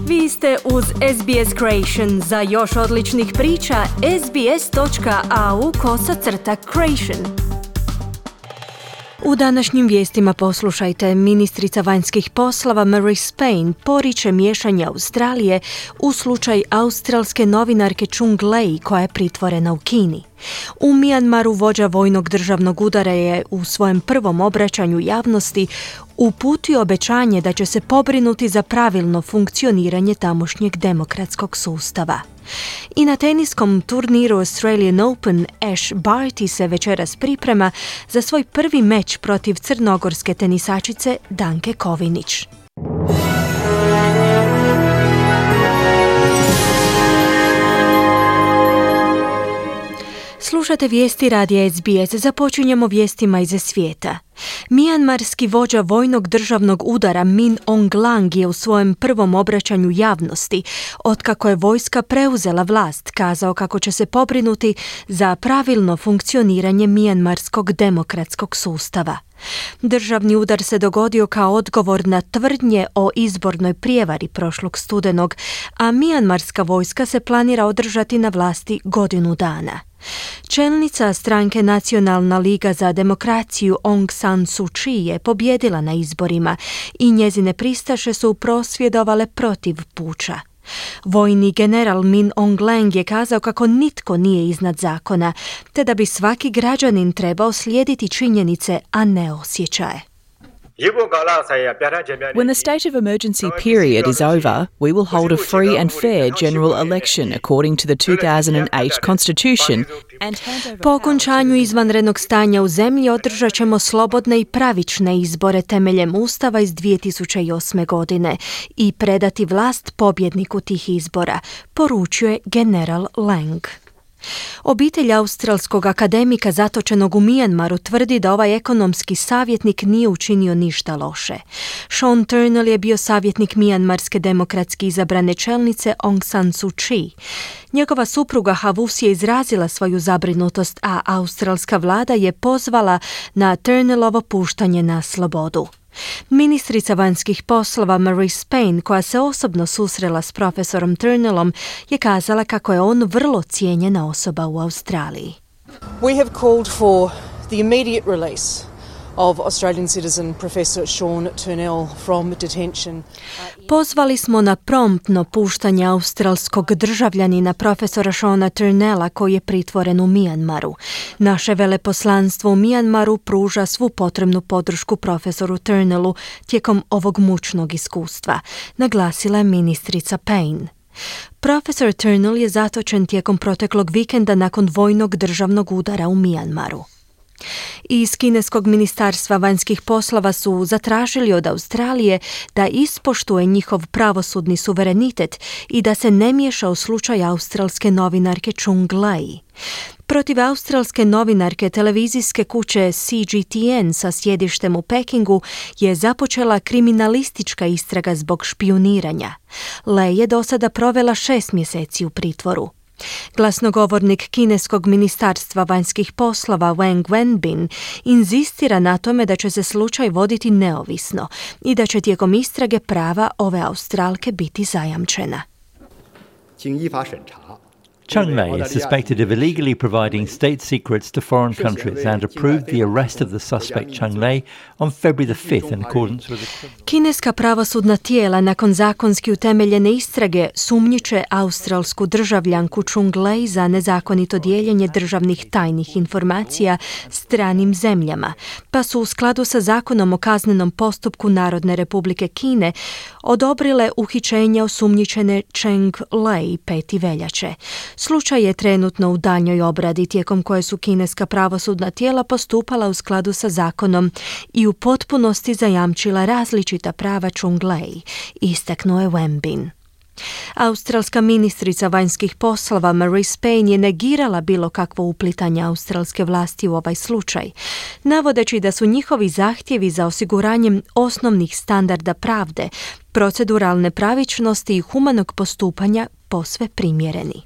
Vi ste uz SBS Creation. Za još odličnih priča, sbs.au/creation. U današnjim vijestima poslušajte, ministrica vanjskih poslova Marise Payne poriče miješanje Australije u slučaj australske novinarke Chung Lei koja je pritvorena u Kini. U Mijanmaru vođa vojnog državnog udara je u svojem prvom obraćanju javnosti uputio obećanje da će se pobrinuti za pravilno funkcioniranje tamošnjeg demokratskog sustava. I na teniskom turniru Australian Open Ash Barty se večeras priprema za svoj prvi meč protiv crnogorske tenisačice Danke Kovinić. Slušate vijesti radija SBS. Započinjemo vijestima iz svijeta. Mijanmarski vođa vojnog državnog udara Min Aung Hlaing je u svojem prvom obraćanju javnosti, otkako je vojska preuzela vlast, kazao kako će se pobrinuti za pravilno funkcioniranje mijanmarskog demokratskog sustava. Državni udar se dogodio kao odgovor na tvrdnje o izbornoj prijevari prošlog studenog, a mijanmarska vojska se planira održati na vlasti godinu dana. Čelnica stranke Nacionalna liga za demokraciju Aung San Suu Kyi je pobjedila na izborima i njezine pristaše su prosvjedovale protiv puča. Vojni general Min Aung Hlaing je kazao kako nitko nije iznad zakona, te da bi svaki građanin trebao slijediti činjenice, a ne osjećaje. When the state of emergency period is over, we will hold a free and fair general election according to the 2008 Constitution and hand over. Po okončanju izvanrednog stanja u zemlji održat ćemo slobodne i pravične izbore temeljem Ustava iz 2008. godine i predati vlast pobjedniku tih izbora, poručio je general Hlaing. Obitelj australskog akademika zatočenog u Mijanmaru tvrdi da ovaj ekonomski savjetnik nije učinio ništa loše. Sean Turnell je bio savjetnik mijanmarske demokratski izabrane čelnice Aung San Suu Kyi. Njegova supruga Havus je izrazila svoju zabrinutost, a australska vlada je pozvala na Turnellovo puštanje na slobodu. Ministrica vanjskih poslova Marise Payne, koja se osobno susrela s profesorom Turnellom, je kazala kako je on vrlo cijenjena osoba u Australiji. We have called for the immediate release of Australian citizen Professor Sean Turnell from detention. Pozvali smo na promptno puštanje australskog državljanina profesora Seana Turnella koji je pritvoren u Mijanmaru. Naše veleposlanstvo u Mijanmaru pruža svu potrebnu podršku profesoru Turnellu tijekom ovog mučnog iskustva, naglasila je ministrica Payne. Profesor Turnell je zatočen tijekom proteklog vikenda nakon vojnog državnog udara u Mijanmaru. Iz kineskog ministarstva vanjskih poslova su zatražili od Australije da ispoštuje njihov pravosudni suverenitet i da se ne miješa u slučaj australske novinarke Chung Lei. Protiv australske novinarke televizijske kuće CGTN sa sjedištem u Pekingu je započela kriminalistička istraga zbog špijuniranja. Lei je do sada provela 6 mjeseci u pritvoru. Glasnogovornik kineskog ministarstva vanjskih poslova Wang Wenbin inzistira na tome da će se slučaj voditi neovisno i da će tijekom istrage prava ove Australke biti zajamčena. Chung Lei is suspected of illegally providing state secrets to foreign countries and approved the arrest of the suspect Chung Lei on February the 5th in accordance with the... Kineska pravosudna tijela nakon zakonski utemeljene istrage sumnjiče australsku državljanku Chung Lei za nezakonito dijeljenje državnih tajnih informacija stranim zemljama, pa su u skladu sa zakonom o kaznenom postupku Narodne republike Kine odobrile uhićenje osumnjičene Cheng Lei 5. veljače. Slučaj je trenutno u daljnjoj obradi tijekom koje su kineska pravosudna tijela postupala u skladu sa zakonom i u potpunosti zajamčila različita prava Chung Lei, istaknuo je Wenbin. Australska ministrica vanjskih poslova Marise Payne je negirala bilo kakvo uplitanje australske vlasti u ovaj slučaj, navodeći da su njihovi zahtjevi za osiguranjem osnovnih standarda pravde, proceduralne pravičnosti i humanog postupanja posve primjereni.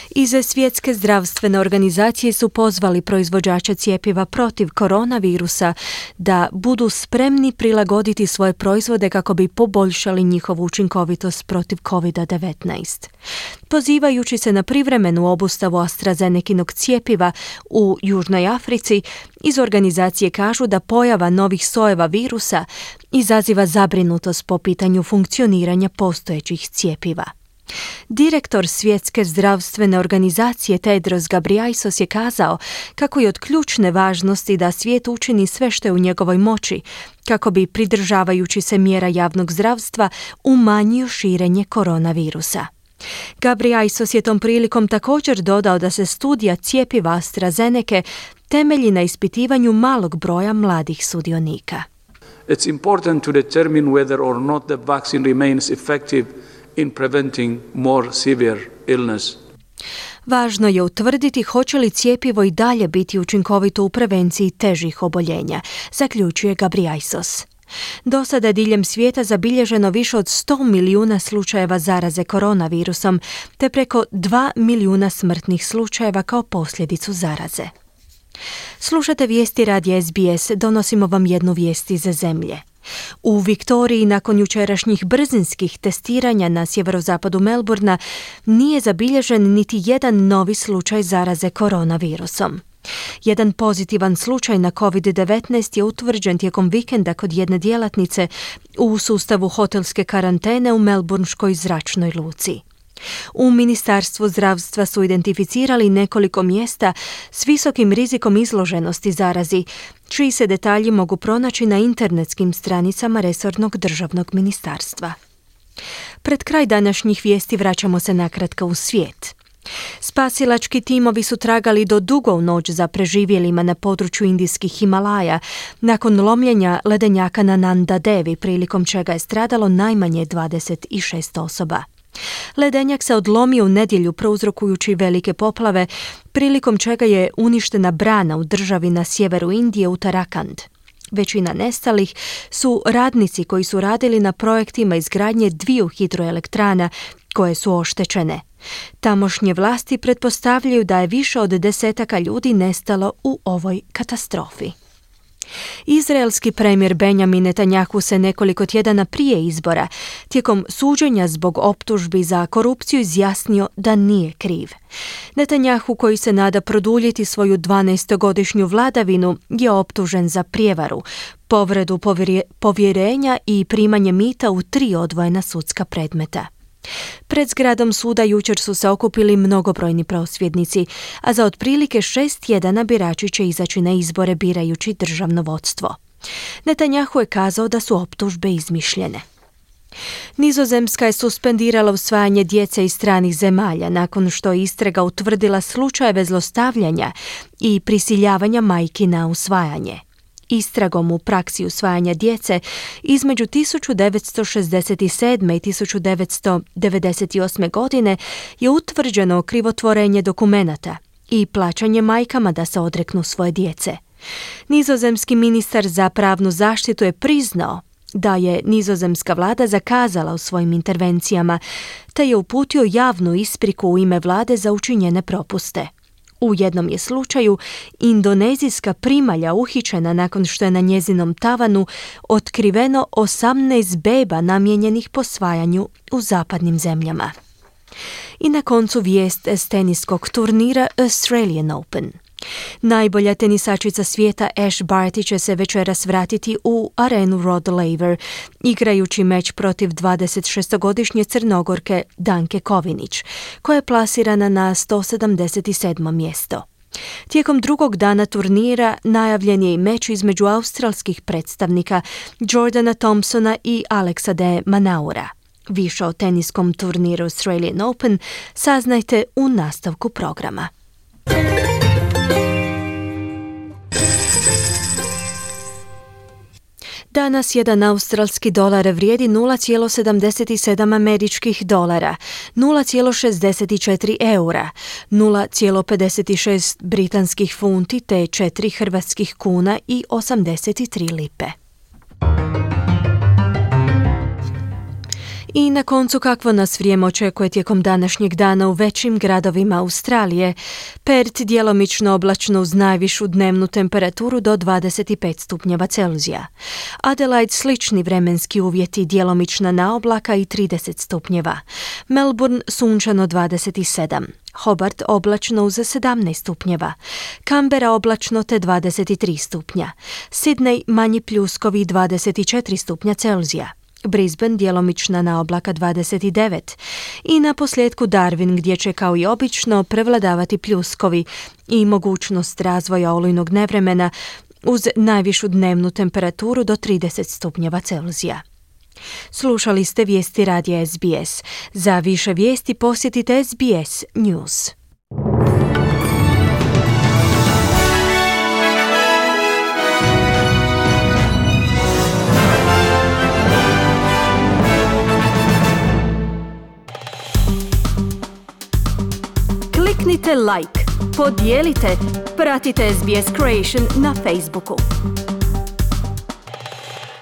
Iz Svjetske zdravstvene organizacije su pozvali proizvođače cjepiva protiv koronavirusa da budu spremni prilagoditi svoje proizvode kako bi poboljšali njihovu učinkovitost protiv COVID-19. Pozivajući se na privremenu obustavu AstraZenekinog cjepiva u Južnoj Africi, iz organizacije kažu da pojava novih sojeva virusa izaziva zabrinutost po pitanju funkcioniranja postojećih cjepiva. Direktor Svjetske zdravstvene organizacije Tedros Ghebreyesus je kazao kako je od ključne važnosti da svijet učini sve što je u njegovoj moći kako bi, pridržavajući se mjera javnog zdravstva, umanjio širenje koronavirusa. Ghebreyesus je tom prilikom također dodao da se studija cjepiva AstraZeneke temelji na ispitivanju malog broja mladih sudionika. It's important to determine whether or not the vaccine remains effective in preventing more severe illness. Važno je utvrditi hoće li cjepivo i dalje biti učinkovito u prevenciji težih oboljenja, zaključuje Ghebreyesus. Do sada je diljem svijeta zabilježeno više od 100 milijuna slučajeva zaraze koronavirusom, te preko 2 milijuna smrtnih slučajeva kao posljedicu zaraze. Slušate vijesti radija SBS, donosimo vam jednu vijest iz zemlje. U Viktoriji nakon jučerašnjih brzinskih testiranja na sjeverozapadu Melbourna nije zabilježen niti jedan novi slučaj zaraze koronavirusom. Jedan pozitivan slučaj na COVID-19 je utvrđen tijekom vikenda kod jedne djelatnice u sustavu hotelske karantene u melbourneškoj zračnoj luci. U Ministarstvu zdravstva su identificirali nekoliko mjesta s visokim rizikom izloženosti zarazi, čiji se detalji mogu pronaći na internetskim stranicama resornog državnog ministarstva. Pred kraj današnjih vijesti vraćamo se nakratko u svijet. Spasilački timovi su tragali do dugo u noć za preživjelima na području indijskih Himalaja nakon lomljenja ledenjaka na Nanda Devi, prilikom čega je stradalo najmanje 26 osoba. Ledenjak se odlomio u nedjelju prouzrokujući velike poplave, prilikom čega je uništena brana u državi na sjeveru Indije Uttarakhand. Većina nestalih su radnici koji su radili na projektima izgradnje 2 hidroelektrana koje su oštećene. Tamošnje vlasti pretpostavljaju da je više od 10 ljudi nestalo u ovoj katastrofi. Izraelski premijer Benjamin Netanjahu se nekoliko tjedana prije izbora, tijekom suđenja zbog optužbi za korupciju, izjasnio da nije kriv. Netanjahu, koji se nada produljiti svoju 12-godišnju vladavinu, je optužen za prijevaru, povredu povjerenja i primanje mita u 3 odvojena sudska predmeta. Pred zgradom suda jučer su se okupili mnogobrojni prosvjednici, a za otprilike 6 tjedana birači će izaći na izbore birajući državno vodstvo. Netanjahu je kazao da su optužbe izmišljene. Nizozemska je suspendirala usvajanje djece iz stranih zemalja nakon što je istraga utvrdila slučajeve zlostavljanja i prisiljavanja majki na usvajanje. Istragom u praksi usvajanja djece između 1967. i 1998. godine je utvrđeno krivotvorenje dokumenata i plaćanje majkama da se odreknu svoje djece. Nizozemski ministar za pravnu zaštitu je priznao da je nizozemska vlada zakazala u svojim intervencijama, te je uputio javnu ispriku u ime vlade za učinjene propuste. U jednom je slučaju indonezijska primalja uhićena nakon što je na njezinom tavanu otkriveno 18 beba namijenjenih posvajanju u zapadnim zemljama. I na koncu vijest s teniskog turnira Australian Open. Najbolja tenisačica svijeta Ash Barty će se večeras vratiti u arenu Rod Laver, igrajući meč protiv 26-godišnje Crnogorke Danke Kovinić, koja je plasirana na 177. mjesto. Tijekom drugog dana turnira najavljen je i meč između australskih predstavnika Jordana Thompsona i Alexa de Minaura. Više o teniskom turniru Australian Open saznajte u nastavku programa. Danas jedan australski dolar vrijedi 0,77 američkih dolara, 0,64 eura, 0,56 britanskih funti te 4 hrvatskih kuna i 83 lipe. I na koncu, kakvo nas vrijeme očekuje tijekom današnjeg dana u većim gradovima Australije. Perth djelomično oblačno uz najvišu dnevnu temperaturu do 25 stupnjeva Celzija. Adelaide slični vremenski uvjeti, djelomična naoblaka i 30 stupnjeva. Melbourne sunčano 27. Hobart oblačno uz 17 stupnjeva. Canberra oblačno te 23 stupnja. Sydney manji pljuskovi 24 stupnja Celzija. Brisbane djelomična naoblaka 29 i na posljedku Darwin gdje će kao i obično prevladavati pljuskovi i mogućnost razvoja olujnog nevremena uz najvišu dnevnu temperaturu do 30 stupnjeva Celzija. Slušali ste vijesti radija SBS. Za više vijesti posjetite SBS News. Kliknite like, podijelite, pratite SBS Creation na Facebooku.